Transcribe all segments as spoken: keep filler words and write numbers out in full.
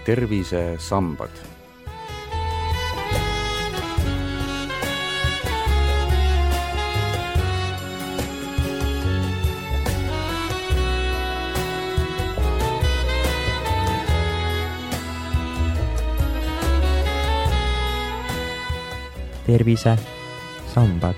tervisesambad. tervisesambad.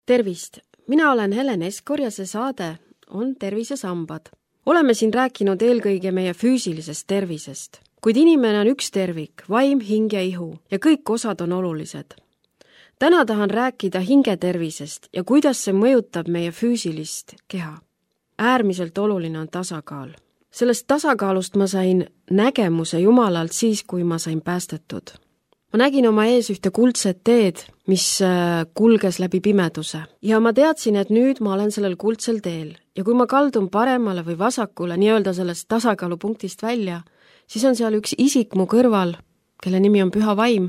Tervist! Mina olen Helen Eskor ja see saade on Tervisesambad. Oleme siin rääkinud eelkõige meie füüsilisest tervisest. Kuid inimene on üks tervik, vaim, hing ja ihu ja kõik osad on olulised. Täna tahan rääkida hingetervisest ja kuidas see mõjutab meie füüsilist keha. Äärmiselt oluline on tasakaal. Sellest tasakaalust ma sain nägemuse Jumalalt siis, kui ma sain päästetud. Ma nägin oma ees ühte kuldset teed, mis kulges läbi pimeduse. Ja ma teadsin, et nüüd ma olen sellel kuldsel teel. Ja kui ma kaldun paremale või vasakule, nii-öelda sellest tasakaalupunktist välja, siis on seal üks isik mu kõrval, kelle nimi on Püha Vaim,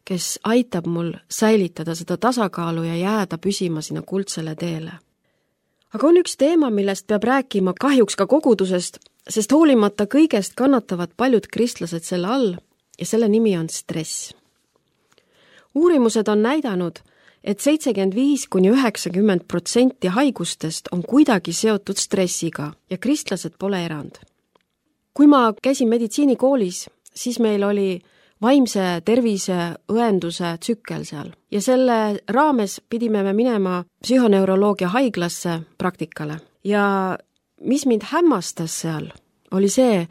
kes aitab mul säilitada seda tasakaalu ja jääda püsima sinna kuldsele teele. Aga on üks teema, millest peab rääkima kahjuks ka kogudusest, sest hoolimata kõigest kannatavad paljud kristlased selle all ja selle nimi on stress. Uurimused on näidanud, et seitsekümmend viis kuni üheksakümmend protsenti haigustest on kuidagi seotud stressiga ja kristlased pole erand. Kui ma käisin meditsiinikoolis, siis meil oli vaimse tervise õenduse tsükkel seal ja selle raames pidime me minema psühhoneuroloogia haiglasse praktikale. Ja mis mind hämmastas seal, oli see,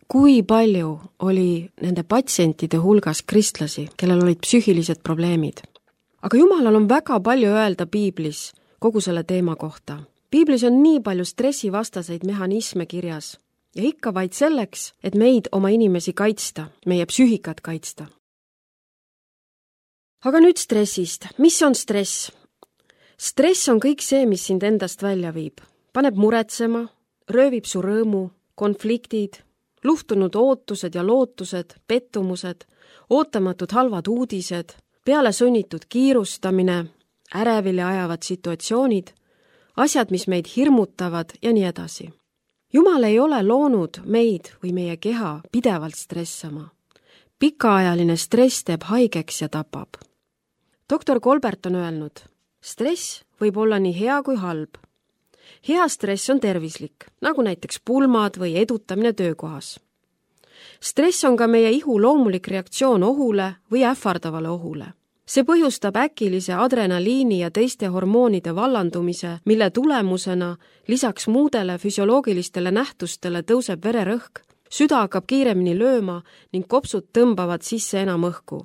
kui palju oli nende patsientide hulgas kristlasi, kellel olid psüühilised probleemid. Aga Jumalal on väga palju öelda Piiblis kogu selle teema kohta. Piiblis on nii palju stressivastaseid mehhanisme kirjas ja ikka vaid selleks, et meid oma inimesi kaitsta, meie psüühikat kaitsta. Aga nüüd stressist. Mis on stress? Stress on kõik see, mis sind endast välja viib. Paneb muretsema, röövib su rõõmu, konfliktid, luhtunud ootused ja lootused, pettumused, ootamatud halvad uudised, peale sunnitud kiirustamine, ärevile ajavad situatsioonid, asjad, mis meid hirmutavad ja nii edasi. Jumal ei ole loonud meid või meie keha pidevalt stressama. Pikaajaline stress teeb haigeks ja tapab. doktor Kolbert on öelnud, stress võib olla nii hea kui halb. Hea stress on tervislik, nagu näiteks pulmad või edutamine töökohas. Stress on ka meie ihu loomulik reaktsioon ohule või ähvardavale ohule. See põhjustab äkilise adrenaliini ja teiste hormoonide vallandumise, mille tulemusena lisaks muudele füsioloogilistele nähtustele tõuseb vererõhk, süda hakkab kiiremini lööma ning kopsud tõmbavad sisse enam õhku.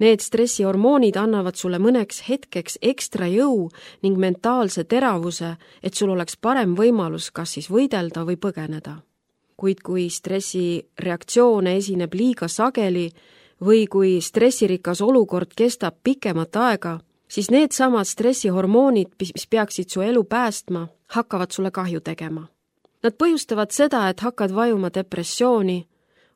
Need stressihormoonid annavad sulle mõneks hetkeks ekstra jõu ning mentaalse teravuse, et sul oleks parem võimalus kas siis võidelda või põgeneda. Kuid kui stressireaktsioone esineb liiga sageli või kui stressirikas olukord kestab pikemat aega, siis need samad stressihormoonid, mis peaksid su elu päästma, hakkavad sulle kahju tegema. Nad põhjustavad seda, et hakkad vajuma depressiooni,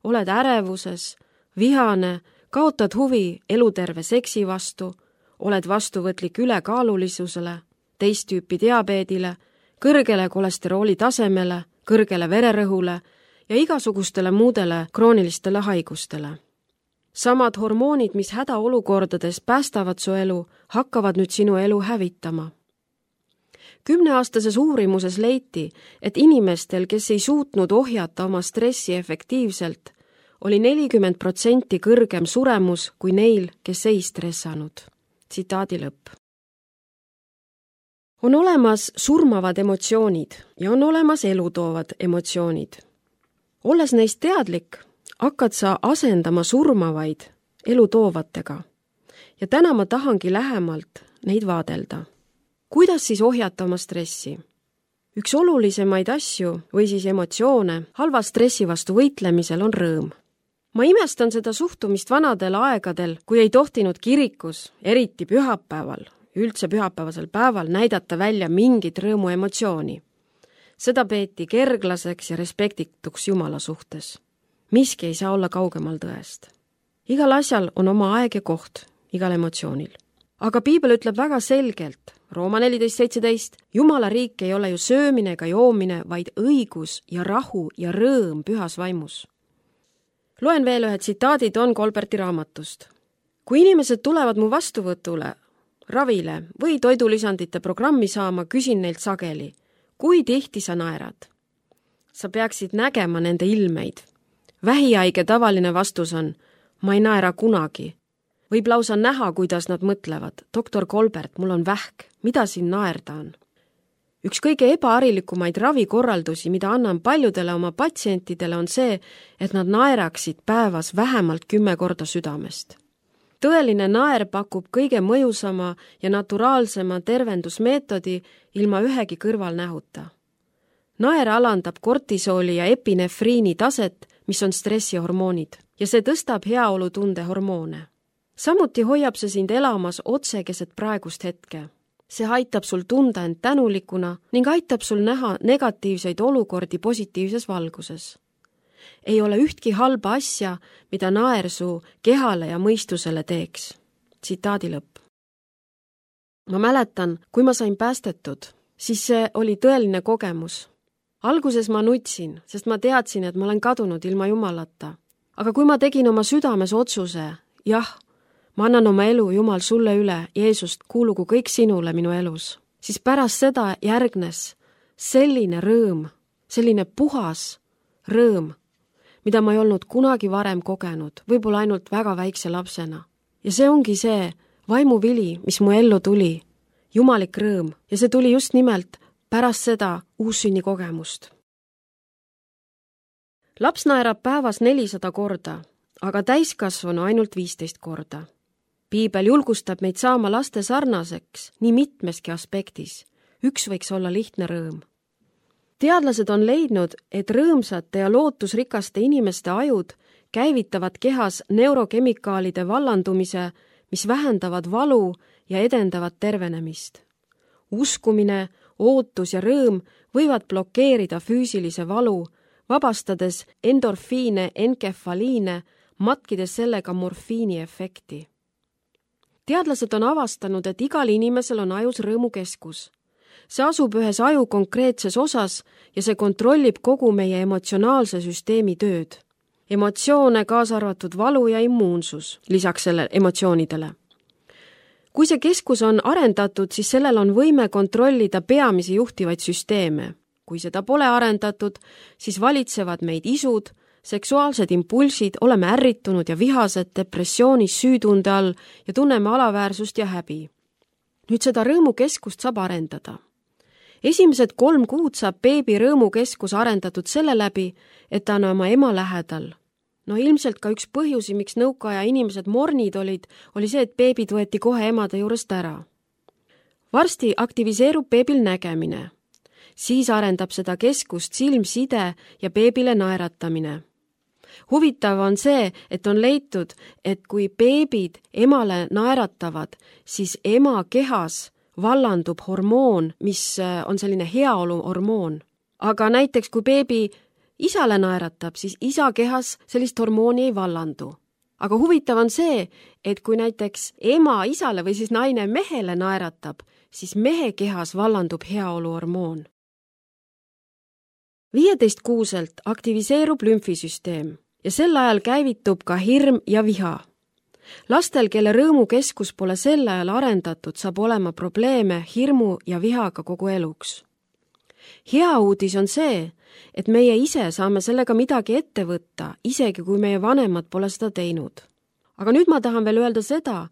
oled ärevuses, vihane, kaotad huvi eluterve seksi vastu, oled vastuvõtlik ülekaalulisusele, teist tüüpi diabeedile, kõrgele kolesterooli tasemele, kõrgele vererõhule ja igasugustele muudele kroonilistele haigustele. Samad hormoonid, mis hädaolukordades päästavad su elu, hakkavad nüüd sinu elu hävitama. Kümneaastases uurimuses leiti, et inimestel, kes ei suutnud ohjata oma stressi efektiivselt, oli nelikümmend protsenti kõrgem suremus kui neil, kes ei stressanud. Tsitaadi lõpp. On olemas surmavad emotsioonid ja on olemas elutoovad emotsioonid. Olles neist teadlik, hakkad sa asendama surmavaid elutoovatega. Ja täna ma tahangi lähemalt neid vaadelda. Kuidas siis ohjata oma stressi? Üks olulisemaid asju või siis emotsioone halva stressi vastu võitlemisel on rõõm. Ma imestan seda suhtumist vanadel aegadel, kui ei tohtinud kirikus, eriti pühapäeval, üldse pühapäevasel päeval näidata välja mingit rõõmu emotsiooni. Seda peeti kerglaseks ja respektituks Jumala suhtes. Miski ei saa olla kaugemal tõest. Igal asjal on oma aeg ja koht, igal emotsioonil. aga piibel ütleb väga selgelt, Rooma neliteist seitseteist, Jumala riik ei ole ju söömine ega joomine, vaid õigus ja rahu ja rõõm pühas vaimus. Loen veel ühe tsitaadi Don Colberti raamatust. Kui inimesed tulevad mu vastuvõtule, ravile või toidulisandite programmi saama, küsin neilt sageli, kui tihti sa naerad? Sa peaksid nägema nende ilmeid. Vähihaige tavaline vastus on, ma ei naera kunagi. Võib lausa näha, kuidas nad mõtlevad. Doktor Colbert, mul on vähk. Mida siin naerda on? Üks kõige ebaharilikumaid ravikorraldusi, mida annan paljudele oma patsientidele, on see, et nad naeraksid päevas vähemalt kümme korda südamest. Tõeline naer pakub kõige mõjusama ja naturaalsema tervendusmeetodi ilma ühegi kõrvalnähuta. Naer alandab kortisooli ja epinefriini taset, mis on stressihormoonid, ja see tõstab heaolutunde hormoone. Samuti hoiab see sind elamas otse keset praegust hetke. See aitab sul tunda end tänulikuna ning aitab sul näha negatiivseid olukordi positiivses valguses. Ei ole ühtki halba asja, mida naer su kehale ja mõistusele teeks. Tsitaadi lõpp. Ma mäletan, kui ma sain päästetud, siis see oli tõeline kogemus. Alguses ma nutsin, sest ma teadsin, et ma olen kadunud ilma Jumalata. Aga kui ma tegin oma südames otsuse, jah, ma annan oma elu, Jumal, sulle üle, Jeesust, kuulugu kõik sinule minu elus, siis pärast seda järgnes selline rõõm, selline puhas rõõm, mida ma ei olnud kunagi varem kogenud, võib-olla ainult väga väikse lapsena. Ja see ongi see vaimuvili, mis mu ellu tuli, jumalik rõõm, ja see tuli just nimelt pärast seda uussünni kogemust. Laps naerab päevas nelisada korda, aga täiskasvanu ainult viisteist korda. Piibel julgustab meid saama laste sarnaseks nii mitmeski aspektis. Üks võiks olla lihtne rõõm. Teadlased on leidnud, et rõõmsate ja lootusrikaste inimeste ajud käivitavad kehas neurokemikaalide vallandumise, mis vähendavad valu ja edendavad tervenemist. Uskumine, ootus ja rõõm võivad blokeerida füüsilise valu, vabastades endorfiine, enkefaliine, matkides sellega morfiini efekti. Teadlased on avastanud, et igal inimesel on ajus rõõmukeskus. See asub ühes aju konkreetses osas ja see kontrollib kogu meie emotsionaalse süsteemi tööd. Emotsioone, kaasa arvatud valu ja immuunsus, lisaks selle emotsioonidele. Kui see keskus on arendatud, siis sellel on võime kontrollida peamisi juhtivaid süsteeme. Kui seda pole arendatud, siis valitsevad meid isud, seksuaalsed impulsid, oleme ärritunud ja vihased, depressioonis, süütunde all ja tunneme alaväärsust ja häbi. Nüüd seda rõõmukeskust saab arendada. Esimesed kolm kuud saab beebi rõõmukeskus arendatud selle läbi, et ta on oma ema lähedal. No ilmselt ka üks põhjusi, miks nõukaaja inimesed mornid olid, oli see, et beebid võeti kohe emade juurest ära. Varsti aktiviseerub beebil nägemine. Siis arendab seda keskust silmside ja beebile naeratamine. Huvitav on see, et on leitud, et kui beebid emale naeratavad, siis ema kehas vallandub hormoon, mis on selline heaolu hormoon. Aga näiteks kui beebi isale naeratab, siis isa kehas sellist hormooni ei vallandu. Aga huvitav on see, et kui näiteks ema isale või siis naine mehele naeratab, siis mehe kehas vallandub heaolu hormoon. viieteist kuuselt aktiviseerub lümfisüsteem ja sel ajal käivitub ka hirm ja viha. Lastel, kelle rõõmukeskus pole sel ajal arendatud, saab olema probleeme hirmu ja vihaga kogu eluks. Hea uudis on see, et meie ise saame sellega midagi ette võtta, isegi kui meie vanemad pole seda teinud. Aga nüüd ma tahan veel öelda seda,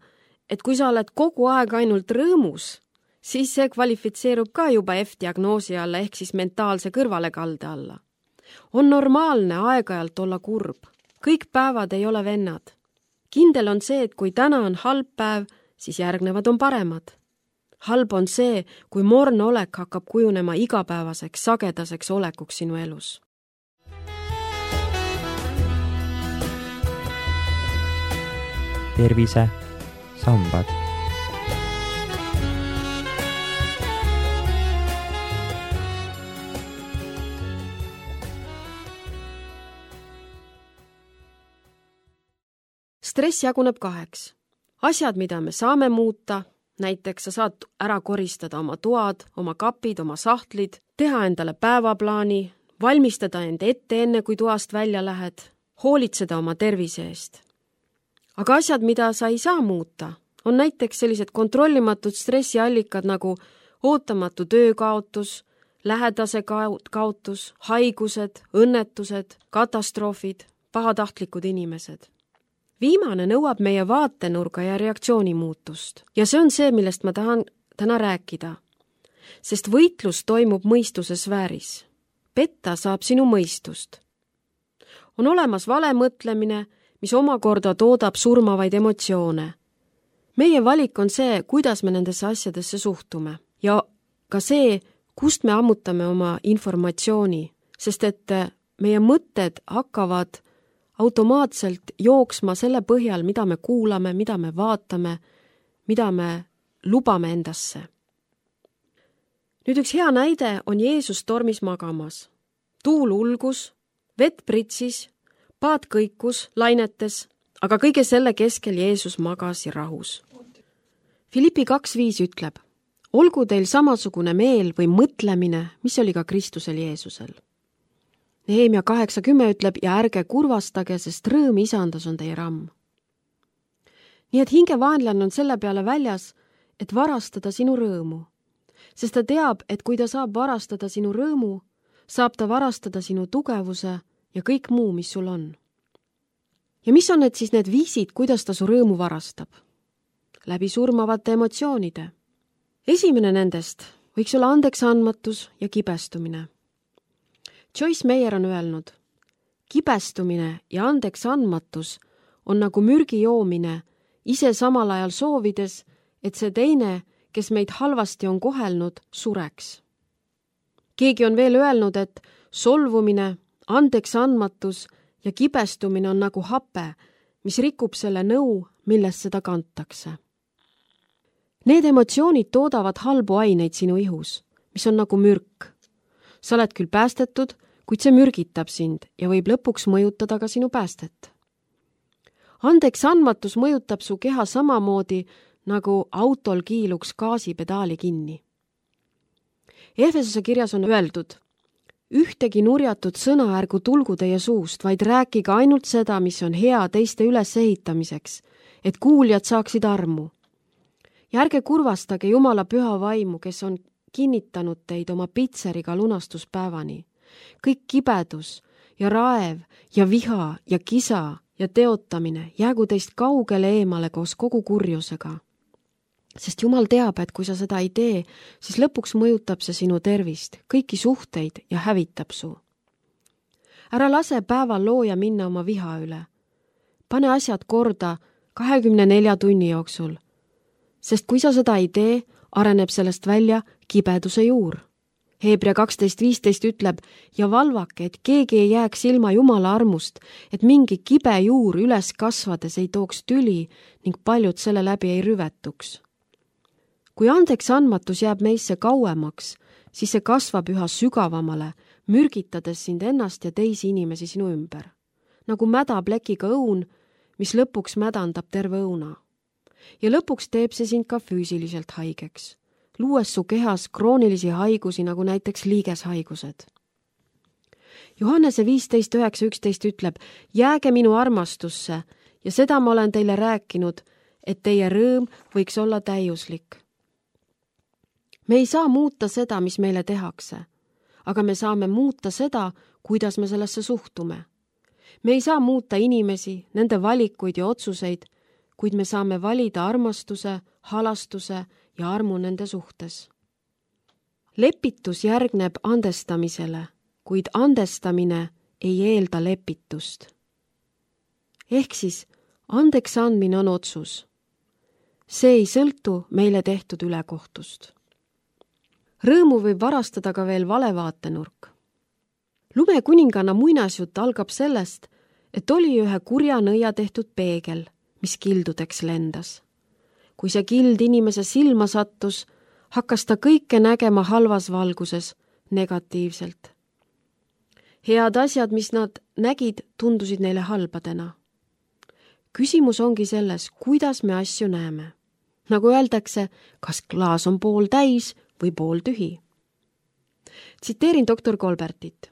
et kui sa oled kogu aeg ainult rõõmus, siis see kvalifitseerub ka juba F-diagnoosi alla ehk siis mentaalse kõrvalekalde alla. On normaalne aeg-ajalt olla kurb. Kõik päevad ei ole vennad. Kindel on see, et kui täna on halb päev, siis järgnevad on paremad. Halb on see, kui morn olek hakkab kujunema igapäevaseks, sagedaseks olekuks sinu elus. tervise sambad. Stress jaguneb kaheks. Asjad, mida me saame muuta näiteks sa saad ära koristada oma toad, oma kapid, oma sahtlid, teha endale päevaplaani, valmistada end ette enne, kui toast välja lähed, hoolitseda oma tervise eest. Aga asjad, mida sa ei saa muuta, on näiteks sellised kontrollimatud stressiallikad nagu ootamatu töökaotus, lähedase kaotus, haigused, õnnetused, katastroofid, pahatahtlikud inimesed. Viimane nõuab meie vaatenurga ja reaktsiooni muutust ja see on see, millest ma tahan täna rääkida, sest võitlus toimub mõistuse sfääris. Petta saab sinu mõistust. On olemas vale mõtlemine, mis omakorda toodab surmavaid emotsioone. Meie valik on see, kuidas me nendesse asjadesse suhtume ja ka see, kust me ammutame oma informatsiooni, sest et meie mõtted hakkavad automaatselt jooksma selle põhjal, mida me kuulame, mida me vaatame, mida me lubame endasse. Nüüd üks hea näide on Jeesus tormis magamas. Tuul ulgus, vett pritsis, paat kõikus, lainetes, aga kõige selle keskel Jeesus magas ja rahus. Filippi kaks viis ütleb, olgu teil samasugune meel või mõtlemine, mis oli ka Kristusel Jeesusel. Nehemia kaheksa kümme ütleb, ja ärge kurvastage, sest rõõm isandas on teie ramm. Nii et hingevaenlane on selle peale väljas, et varastada sinu rõõmu, sest ta teab, et kui ta saab varastada sinu rõõmu, saab ta varastada sinu tugevuse ja kõik muu, mis sul on. Ja mis on need siis need viisid, kuidas ta su rõõmu varastab? Läbi surmavate emotsioonide. Esimene nendest võiks olla andeksandmatus ja kibestumine. Joyce Meyer on öelnud, kibestumine ja andeksandmatus on nagu mürgi joomine, ise samal ajal soovides, et see teine, kes meid halvasti on kohelnud, sureks. Keegi on veel öelnud, et solvumine, andeksandmatus ja kibestumine on nagu hape, mis rikub selle nõu, millest seda kantakse. Need emotsioonid toodavad halbu aineid sinu ihus, mis on nagu mürk. Sa oled küll päästetud, kuid see mürgitab sind ja võib lõpuks mõjutada ka sinu päästet. Andeksandmatus mõjutab su keha samamoodi, nagu autol kiiluks gaasipedaali kinni. Efesose kirjas on öeldud, ühtegi nurjatud sõna ärgu tulgu teie suust, vaid rääkige ainult seda, mis on hea teiste ülesehitamiseks, et kuuljad saaksid armu. Ja ärge kurvastage Jumala püha vaimu, kes on kinnitanud teid oma pitseriga lunastuspäevani. Kõik kibedus ja raev ja viha ja kisa ja teotamine jäägu teist kaugele eemale koos kogu kurjusega. Sest Jumal teab, et kui sa seda ei tee, siis lõpuks mõjutab see sinu tervist, kõiki suhteid ja hävitab su. Ära lase päeval looja minna oma viha üle. Pane asjad korda kahekümne nelja tunni jooksul, sest kui sa seda ei tee, areneb sellest välja kibeduse juur. Heebrea kaksteist viisteist ütleb, ja valvake, et keegi ei jääks ilma Jumala armust, et mingi kibe juur üles kasvades ei tooks tüli ning paljud selle läbi ei rüvetuks. Kui andeksandmatus jääb meisse kauemaks, siis see kasvab üha sügavamale, mürgitades sind ennast ja teisi inimesi sinu ümber. Nagu mäda plekiga õun, mis lõpuks mädandab terve õuna. Ja lõpuks teeb see sind ka füüsiliselt haigeks, luues su kehas kroonilisi haigusi, nagu näiteks liigeshaigused. Johannese viisteist üheksa üksteist ütleb, jääge minu armastusse ja seda ma olen teile rääkinud, et teie rõõm võiks olla täiuslik. Me ei saa muuta seda, mis meile tehakse, aga me saame muuta seda, kuidas me sellesse suhtume. Me ei saa muuta inimesi, nende valikuid ja otsuseid, kuid me saame valida armastuse, halastuse ja armu nende suhtes. Lepitus järgneb andestamisele, kuid andestamine ei eelda lepitust. Ehk siis andeks andmine on otsus. See ei sõltu meile tehtud ülekohtust. Rõõmu võib varastada ka veel valevaatenurk. Lumekuninganna muinasjutt algab sellest, et oli ühe kurja nõia tehtud peegel, mis kildudeks lendas. Kui see kild inimese silma sattus, hakkas ta kõike nägema halvas valguses, negatiivselt. Head asjad, mis nad nägid, tundusid neile halbadena. Küsimus ongi selles, kuidas me asju näeme. nagu öeldakse, kas klaas on pool täis või pool tühi. Tsiteerin doktor Kolbertit.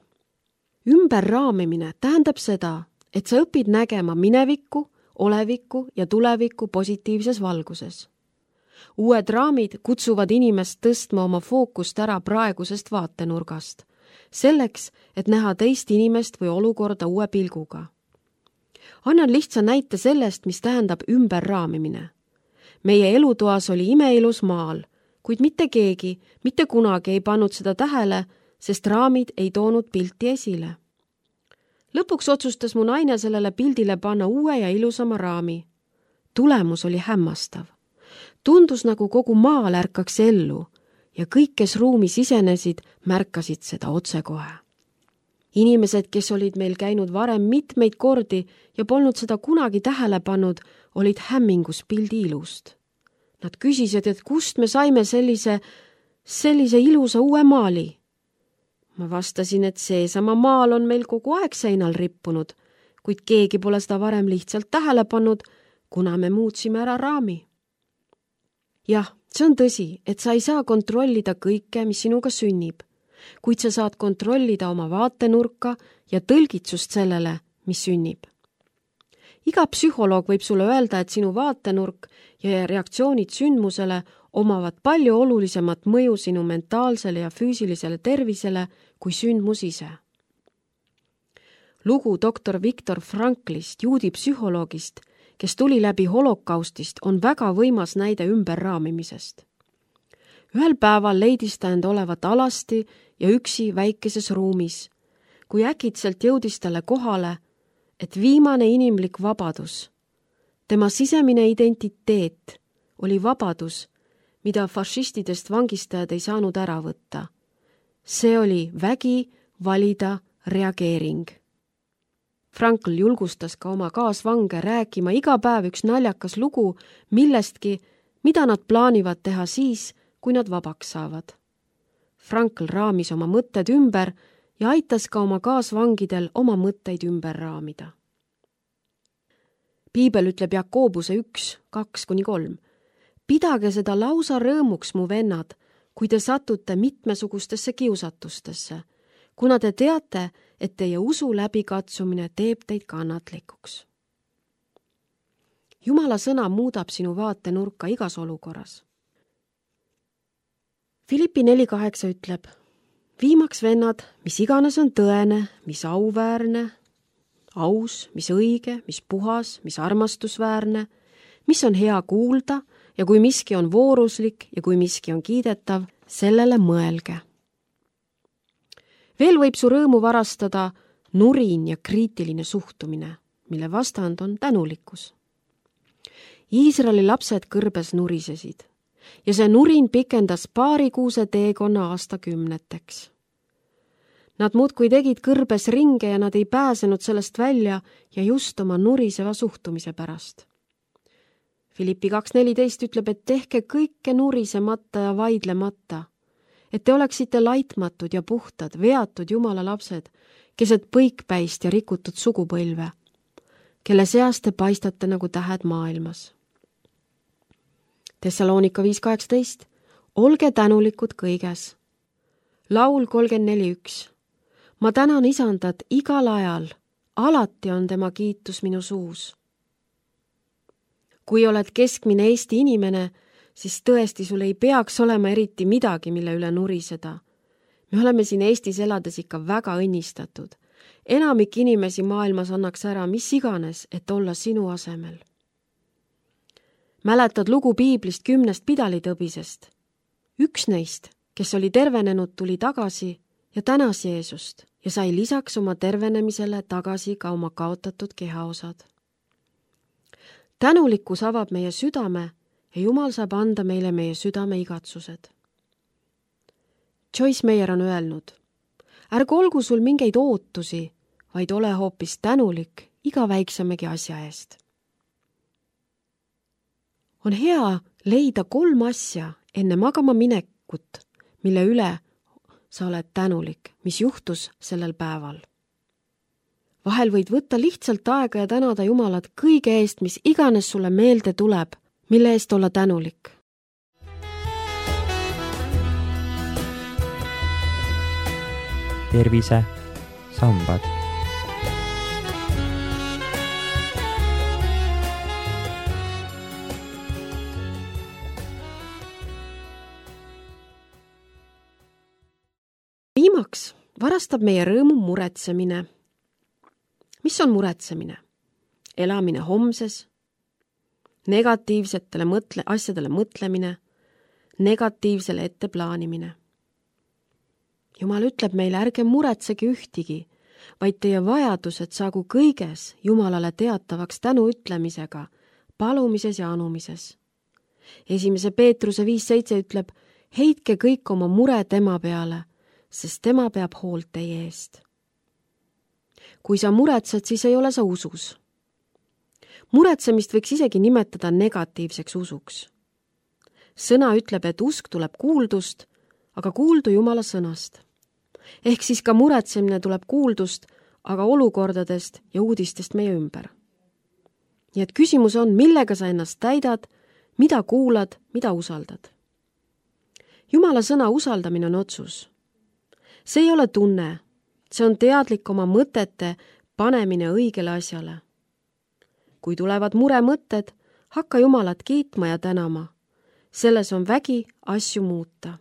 Ümberraamimine tähendab seda, et sa õpid nägema minevikku, olevikku ja tulevikku positiivses valguses. Uued raamid kutsuvad inimest tõstma oma fookust ära praegusest vaatenurgast, selleks, et näha teist inimest või olukorda uue pilguga. Annan lihtsa näite sellest, mis tähendab ümberraamimine. Meie elutoas oli imeilus maal, kuid mitte keegi, mitte kunagi ei pannud seda tähele, sest raamid ei toonud pilti esile. Lõpuks otsustas mu naine sellele pildile panna uue ja ilusama raami. Tulemus oli hämmastav. Tundus nagu kogu maal ärkaks ellu ja kõik, kes ruumi sisenesid, märkasid seda otsekohe. Inimesed, kes olid meil käinud varem mitmeid kordi ja polnud seda kunagi tähele pannud, olid hämmingus pildi ilust. Nad küsisid, et kust me saime sellise, sellise ilusa uue maali. Ma vastasin, et seesama maal on meil kogu aeg seinal rippunud, kuid keegi pole seda varem lihtsalt tähele pannud, kuna me muutsime ära raami. Jah, see on tõsi, et sa ei saa kontrollida kõike, mis sinuga sünnib, kuid sa saad kontrollida oma vaatenurka ja tõlgitsust sellele, mis sünnib. Iga psühholoog võib sulle öelda, et sinu vaatenurk ja reaktsioonid sündmusele omavad palju olulisemat mõju sinu mentaalsele ja füüsilisele tervisele kui sündmus ise. Lugu doktor Viktor Franklist, juudi psühholoogist, kes tuli läbi holokaustist, on väga võimas näide ümberraamimisest. Ühel päeval leidis ta end olevat alasti ja üksi väikeses ruumis, kui äkitselt jõudis talle kohale, et viimane inimlik vabadus, tema sisemine identiteet oli vabadus, mida fašistidest vangistajad ei saanud ära võtta. See oli vägi valida reageering. Frankl julgustas ka oma kaasvange rääkima iga päev üks naljakas lugu millestki, mida nad plaanivad teha siis, kui nad vabaks saavad. Frankl raamis oma mõtted ümber ja aitas ka oma kaasvangidel oma mõtteid ümber raamida. Piibel ütleb Jakobuse üks, kaks kuni kolm. Pidage seda lausa rõõmuks, mu vennad, kui te satute mitmesugustesse kiusatustesse, kuna te teate, et teie usu läbikatsumine teeb teid kannatlikuks. Jumala sõna muudab sinu vaatenurka igas olukorras. Filippi neli kaheksa ütleb, viimaks vennad, mis iganes on tõene, mis auväärne, aus, mis õige, mis puhas, mis armastusväärne, mis on hea kuulda ja kui miski on vooruslik ja kui miski on kiidetav, sellele mõelge. Veel võib su rõõmu varastada nurin ja kriitiline suhtumine, mille vastand on tänulikkus. Iisraeli lapsed kõrbes nurisesid ja see nurin pikendas paarikuuse teekonna aastakümneteks. Nad muudkui tegid kõrbes ringe ja nad ei pääsenud sellest välja ja just oma nuriseva suhtumise pärast. Filippi kaks neliteist ütleb, et tehke kõike nurisemata ja vaidlemata, et te oleksite laitmatud ja puhtad, veatud Jumala lapsed, keset põikpäist ja rikutud sugupõlve, kelle seas te paistate nagu tähed maailmas. Thessaloonika viis kaheksateist, olge tänulikud kõiges. Laul kolmkümmend neli üks, ma tänan isandat igal ajal, alati on tema kiitus minu suus. Kui oled keskmine Eesti inimene, siis tõesti sul ei peaks olema eriti midagi, mille üle nuriseda. Me oleme siin Eestis elades ikka väga õnnistatud. Enamik inimesi maailmas annaks ära mis iganes, et olla sinu asemel. Mäletad lugu piiblist kümnest pidalitõbisest? Üks neist, kes oli tervenenud, tuli tagasi ja tänas Jeesust ja sai lisaks oma tervenemisele tagasi ka oma kaotatud kehaosad. Tänulikkus avab meie südame ja Jumal saab anda meile meie südame igatsused. Joyce Meyer on öelnud, ärgu olgu sul mingeid ootusi, vaid ole hoopis tänulik iga väiksemegi asja eest. On hea leida kolm asja enne magama minekut, mille üle sa oled tänulik, mis juhtus sellel päeval. Vahel võid võtta lihtsalt aega ja tänada Jumalat kõige eest, mis iganes sulle meelde tuleb, mille eest olla tänulik. tervise sambad. Viimaks varastab meie rõõmu muretsemine. Mis on muretsemine? Elamine homses, negatiivsetele mõtle, asjadele mõtlemine, negatiivsele ette plaanimine. Jumal ütleb meile, ärge muretsege ühtigi, vaid teie vajadused saagu kõiges Jumalale teatavaks tänu ütlemisega, palumises ja anumises. Esimese Peetruse viis seitse ütleb, heitke kõik oma mure tema peale, sest tema peab hoolt teie eest. Kui sa muretsed, siis ei ole sa usus. Muretsemist võiks isegi nimetada negatiivseks usuks. Sõna ütleb, et usk tuleb kuuldust, aga kuuldu Jumala sõnast. Ehk siis ka muretsemine tuleb kuuldust, aga olukordadest ja uudistest meie ümber. Nii et küsimus on, millega sa ennast täidad, mida kuulad, mida usaldad. Jumala sõna usaldamine on otsus. See ei ole tunne, see on teadlik oma mõtete panemine õigele asjale. Kui tulevad muremõtted, hakka Jumalat kiitma ja tänama. Selles on vägi asju muuta.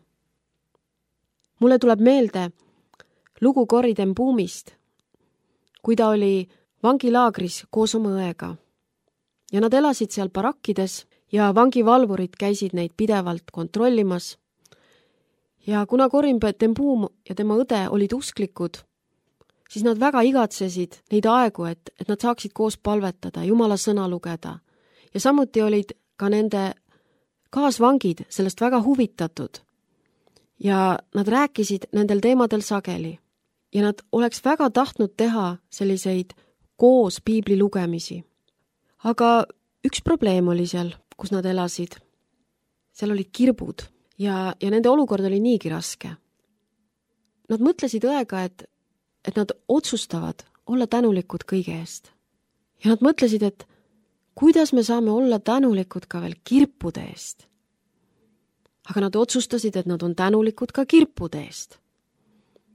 Mulle tuleb meelde lugu Corrie ten Boomist, kui ta oli vangilaagris koos oma õega. Ja nad elasid seal barakkides ja vangivalvurid käisid neid pidevalt kontrollimas. Ja kuna Corrie ten Boom ja tema õde olid usklikud, siis nad väga igatsesid neid aegu, et, et nad saaksid koos palvetada, Jumala sõna lugeda. Ja samuti olid ka nende kaasvangid sellest väga huvitatud. Ja nad rääkisid nendel teemadel sageli. Ja nad oleks väga tahtnud teha selliseid koos piibli lugemisi. Aga üks probleem oli seal, kus nad elasid. Seal olid kirbud ja, ja nende olukord oli niigi raske. Nad mõtlesid õega, et et nad otsustavad olla tänulikud kõige eest. Ja nad mõtlesid, et kuidas me saame olla tänulikud ka veel kirpude eest. Aga nad otsustasid, et nad on tänulikud ka kirpude eest.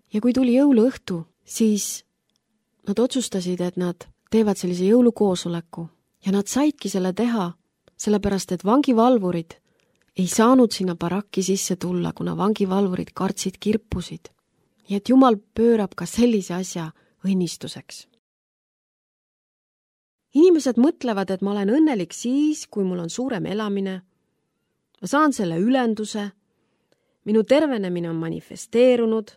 Ja kui tuli jõuluõhtu, siis nad otsustasid, et nad teevad sellise jõulukoosoleku. Ja nad saidki selle teha, sellepärast et vangivalvurid ei saanud sinna barakki sisse tulla, kuna vangivalvurid kartsid kirpusid. Ja et Jumal pöörab ka sellise asja õnnistuseks. Inimesed mõtlevad, et ma olen õnnelik siis, kui mul on suurem elamine. Ma saan selle ülenduse. Minu tervenemine on manifesteerunud.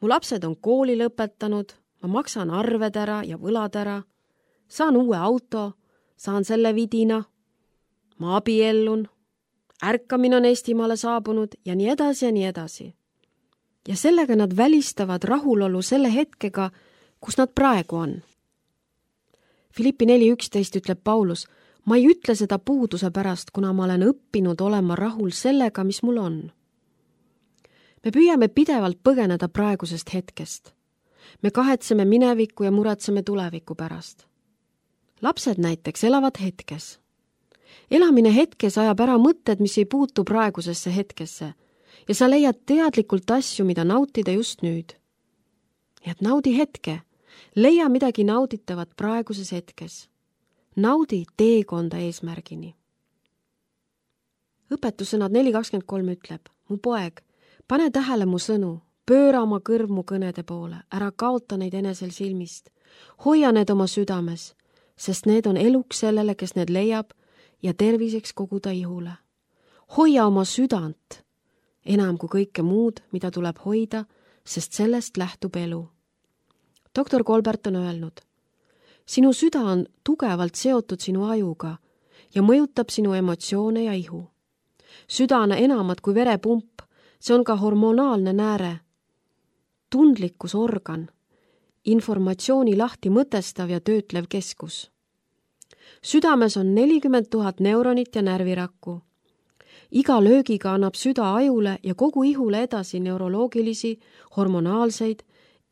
Mu lapsed on kooli lõpetanud. Ma maksan arved ära ja võlad ära. Saan uue auto. Saan selle vidina. Ma abiellun. Ärkamine on Eestimaale saabunud ja nii edasi ja nii edasi. Ja sellega nad välistavad rahulolu selle hetkega, kus nad praegu on. Filippi neli üksteist ütleb Paulus, ma ei ütle seda puuduse pärast, kuna ma olen õppinud olema rahul sellega, mis mul on. Me püüame pidevalt põgeneda praegusest hetkest. Me kahetseme minevikku ja muretseme tuleviku pärast. Lapsed näiteks elavad hetkes. Elamine hetkes ajab ära mõtted, mis ei puutu praegusesse hetkesse. Ja sa leiad teadlikult asju, mida nautida just nüüd. Ja et naudi hetke. Leia midagi nauditavat praeguses hetkes. Naudi teekonda eesmärgini. Õpetussõnad neli kakskümmend kolm ütleb, mu poeg, pane tähele mu sõnu, pööra oma kõrv mu kõnede poole, ära kaota neid enesel silmist. Hoia need oma südames, sest need on eluks sellele, kes need leiab ja terviseks kogu ta ihule. Hoia oma südant, enam kui kõike muud, mida tuleb hoida, sest sellest lähtub elu. Doktor Kolbert on öelnud, sinu süda on tugevalt seotud sinu ajuga ja mõjutab sinu emotsioone ja ihu. Süda on enamat kui verepump, see on ka hormonaalne nääre, tundlikkus organ, informatsiooni lahti mõtestav ja töötlev keskus. Südames on nelikümmend tuhat neuronit ja närvirakku. Iga löögiga annab süda ajule ja kogu ihule edasi neuroloogilisi, hormonaalseid,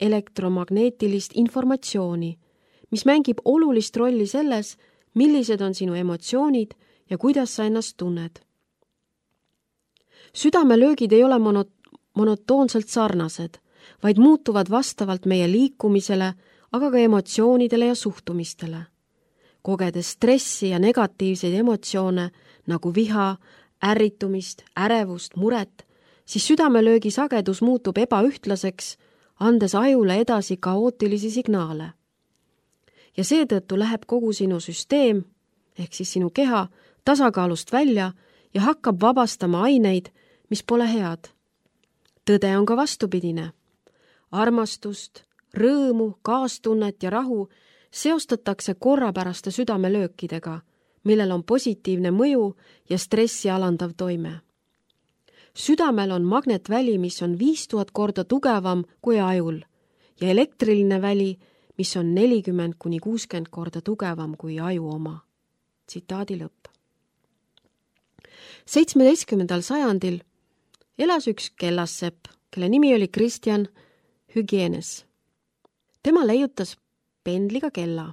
elektromagneetilist informatsiooni, mis mängib olulist rolli selles, millised on sinu emotsioonid ja kuidas sa ennast tunned. Südamelöögid ei ole mono- monotoonselt sarnased, vaid muutuvad vastavalt meie liikumisele, aga ka emotsioonidele ja suhtumistele. Kogedes stressi ja negatiivseid emotsioone nagu viha, ärritumist, ärevust, muret, siis südamelöögi sagedus muutub ebaühtlaseks, andes ajule edasi kaootilisi signaale. Ja seetõttu läheb kogu sinu süsteem, ehk siis sinu keha, tasakaalust välja ja hakkab vabastama aineid, mis pole head. Tõde on ka vastupidine. Armastust, rõõmu, kaastunnet ja rahu seostatakse korrapäraste südamelöökidega, millel on positiivne mõju ja stressi alandav toime. Südamel on magnetväli, mis on viis tuhat korda tugevam kui ajul ja elektriline väli, mis on nelikümmend kuni kuuskümmend korda tugevam kui aju oma. Tsitaadi lõpp. seitsmeteistkümnendal sajandil elas üks kellassepp, kelle nimi oli Christian Huygens. Tema leiutas pendliga kella.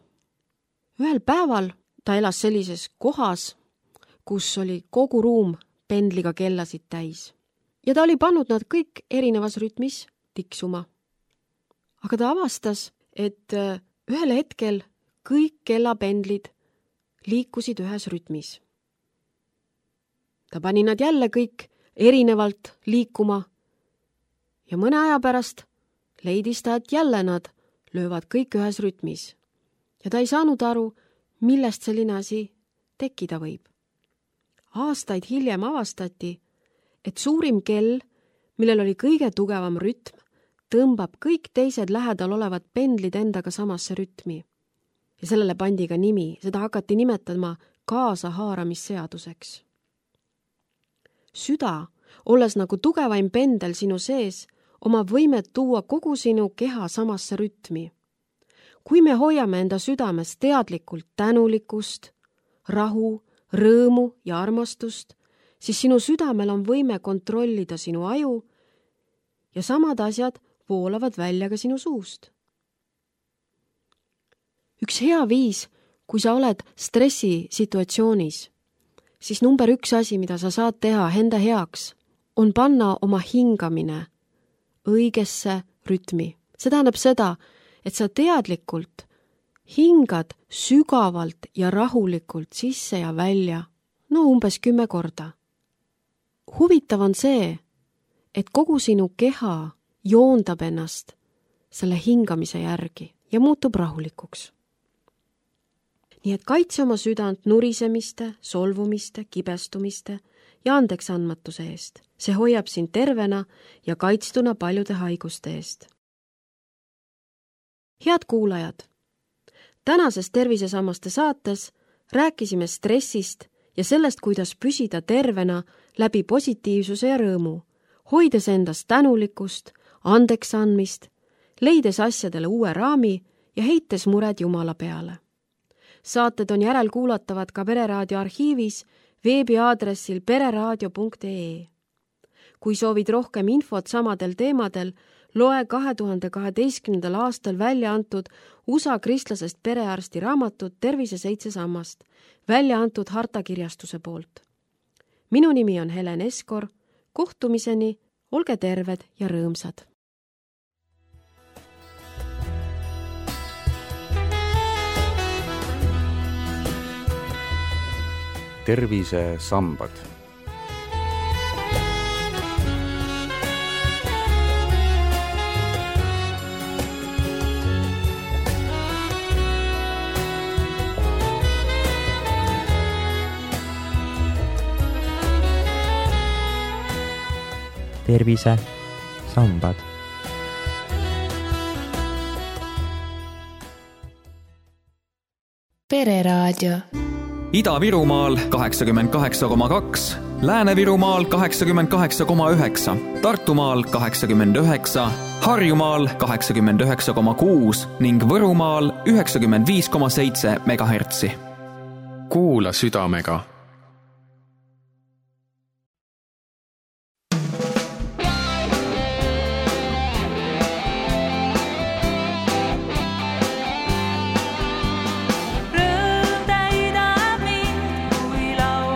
Ühel päeval ta elas sellises kohas, kus oli kogu ruum pendliga kellasid täis. Ja ta oli pannud nad kõik erinevas rütmis tiksuma. Aga ta avastas, et ühel hetkel kõik kellapendlid liikusid ühes rütmis. Ta pani nad jälle kõik erinevalt liikuma ja mõne aja pärast leidis ta, et jälle nad löövad kõik ühes rütmis. Ja ta ei saanud aru, millest selline asi tekkida võib. Aastaid hiljem avastati, et suurim kell, millel oli kõige tugevam rütm, tõmbab kõik teised lähedal olevad pendlid endaga samasse rütmi. Ja sellele pandi ka nimi, seda hakati nimetama kaasahaaramisseaduseks. Süda, olles nagu tugevaim pendel sinu sees, omab võimet tuua kogu sinu keha samasse rütmi. Kui me hoiame enda südames teadlikult tänulikkust, rahu, rõõmu ja armastust, siis sinu südamel on võime kontrollida sinu aju ja samad asjad voolavad välja ka sinu suust. Üks hea viis, kui sa oled stressisituatsioonis, siis number üks asi, mida sa saad teha enda heaks, on panna oma hingamine õigesse rütmi. See tähendab seda, et sa teadlikult hingad sügavalt ja rahulikult sisse ja välja, no umbes kümme korda. Huvitav on see, et kogu sinu keha joondab ennast selle hingamise järgi ja muutub rahulikuks. Nii et kaitse oma südant nurisemiste, solvumiste, kibestumiste ja andeksandmatuse eest. See hoiab sind tervena ja kaitstuna paljude haiguste eest. Head kuulajad, tänases Tervisesammaste saates rääkisime stressist ja sellest, kuidas püsida tervena läbi positiivsuse ja rõõmu, hoides endast tänulikkust, andeks andmist, leides asjadele uue raami ja heites mured Jumala peale. Saated on järelkuulatavad ka Pereraadio arhiivis veebiaadressil pereraadio punkt ee. Kui soovid rohkem infot samadel teemadel, loe kahe tuhande kaheteistkümnendal aastal välja antud U S A kristlasest perearsti raamatut Tervise seitse sammast, välja antud Harta kirjastuse poolt. Minu nimi on Helen Eskor, kohtumiseni, olge terved ja rõõmsad! tervisesambad. tervisesambad. Pereraadio. Ida-Virumaal kaheksakümmend kaheksa koma kaks, Lääne-Virumaal kaheksakümmend kaheksa koma üheksa, Tartumaal kaheksakümmend üheksa, Harjumaal kaheksakümmend üheksa koma kuus ning Võrumaal üheksakümmend viis koma seitse megahertsi. Kuula südamega. Rõõm täidab mind, kui laul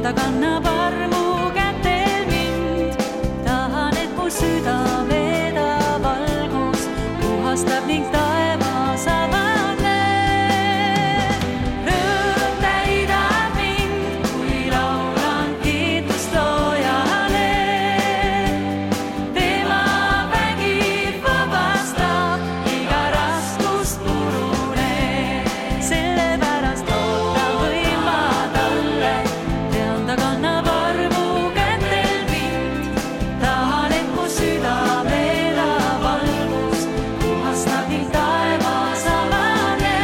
ta kannab armu kätel mind. Tahan, et mu süda veeda valgus, puhastab ning taevas avane. Rõõm täidab mind, kui laulan kiitust loojale. Tema vägi vabastab iga raskust purune. Sellepärast loota võin ma talle, tean ta kannab armu kätel mind. Tahan, et mu süda veeda valgus, puhastab ning taevas avane.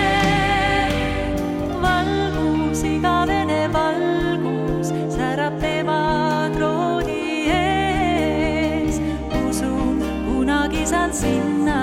Valgus, igavene valgus, särab tema trooni ees. Usun, kunagi saan sinna